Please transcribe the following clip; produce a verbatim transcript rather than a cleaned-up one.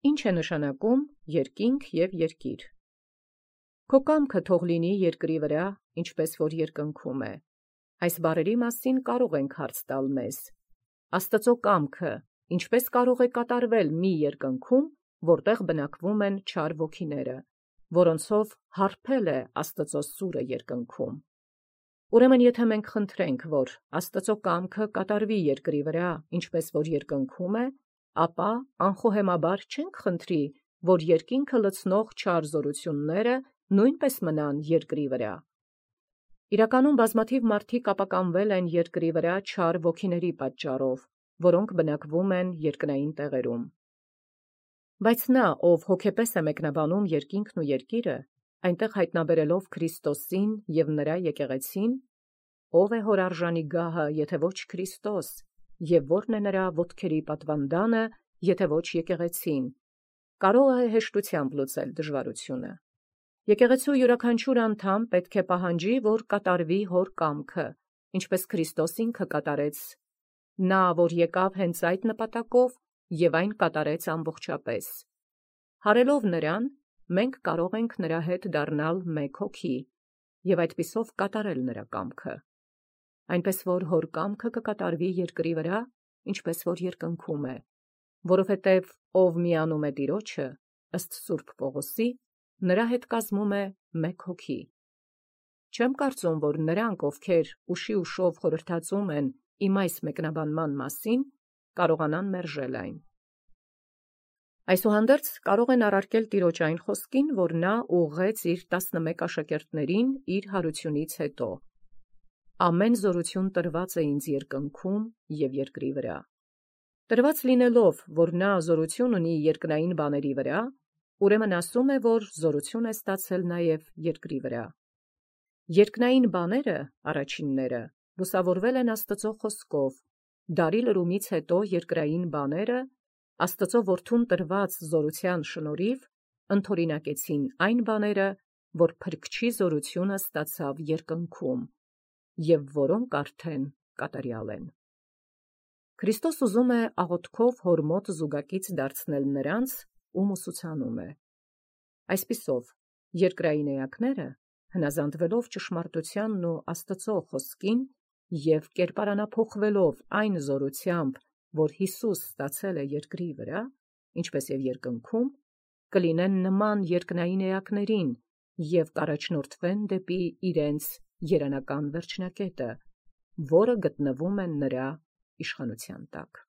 Ինչ է նշանակում երկինք և երկիր։ Քո կամքը թող լինի երկրի վրա, ինչպես որ երկնքում է։ Այս բառերի մասին կարող ենք հարց տալ մեզ. Աստծո կամքը ինչպես կարող է կատարվել մի երկնքում, որտեղ բնակվում են չար ոգիները, որոնցով հարբել է Աստծո սուրը երկնքում։ Ուրեմն եթե մենք խնդրենք, որ Աստծո կամքը կատարվի երկրի վրա, ինչպես որ երկնքում է, ապա անխոհեմաբար չենք խնդրի, որ երկինքը լցնող չար զորությունները նույնպես մնան երկրի վրա։ Իրականում բազմաթիվ մարդիկ ապականվել են երկրի վրա չար ոգիների պատճառով, որոնք բնակվում են երկնային տեղերում։ Բայց նա, ով հոգեպես է մեկնաբանում երկինքն ու երկիրը, այնտեղ հայտնաբերելով Քրիստոսին և նրա եկեղեցին, ով է հորարժանի գահը, եթե ոչ Քրիստոս, և ո՞րն է նրա ոտքերի պատվանդանը, եթե ոչ եկեղեցին, կարող է հեշտությամբ լուծել դժվարությունը։ Եկեղեցու յուրաքանչյուր անդամ պետք է պահանջի, որ կատարվի հոր կամքը, ինչպես Քրիստոս ինքը կատարեց, նա, որ եկավ հենց այդ նպատակով և այն կատարեց ամբողջապես։ Հարելով նրան, մենք կարող ենք նրա հետ դառնալ մեկ հոգի և այդպիսով կատարել նրա կամքը։ Այնպես որ հոր կամքը կկատարվի երկրի վրա, ինչպես որ երկնքում է, որովհետև ով միանում է Տիրոջը, ըստ Սուրբ Պողոսի, նրա հետ կազմում է մեկ հոգի։ Չեմ կարծում, որ նրանք, ովքեր ուշի ուշով խորհրդածում են իմ այս մեկնաբանման մասին, կարողանան մերժել այն։ Այսուհանդերձ կարող են առարկել Տիրոջ այն խոսքին, որ նա ուղղեց իր տասնմեկ աշակերտներին իր հարությունից հետո. «Ամեն զորություն տրված է ինձ երկնքում և երկրի վրա»։ Տրված լինելով, որ նա զորություն ունի երկնային բաների վրա, ուրեմն ասում է, որ զորություն է ստացել նաև երկրի վրա։ Երկնային բաները, առաջինները, լուսավորվել են Աստծո խոսքով, դարի լրումից հետո երկրային բաները, Աստծո որդուն տրված զորության շնորհիվ, ընդօրինակեցին այն բաները, որ Փրկչի զորությունը ստացավ երկնքում, և որոնք արդեն կատարյալ են։ Քրիստոս ուզում է աղոթքով հոր մոտ զուգակից դարձնել նրանց, ում ուսուցանում է։ Այսպիսով, երկրային էակները, հնազանդվելով ճշմարտությանն ու Աստծո խոսքին և կերպարանափոխվելով այն զորությամբ, որ Յիսուս ստացել է երկրի վրա, ինչպես և երկնքում, կլինեն նման երկնային էակներին և կառաջնորդվեն դեպի իրենց երանական վերջնակետը, որը գտնվում է նրա իշխանության տակ։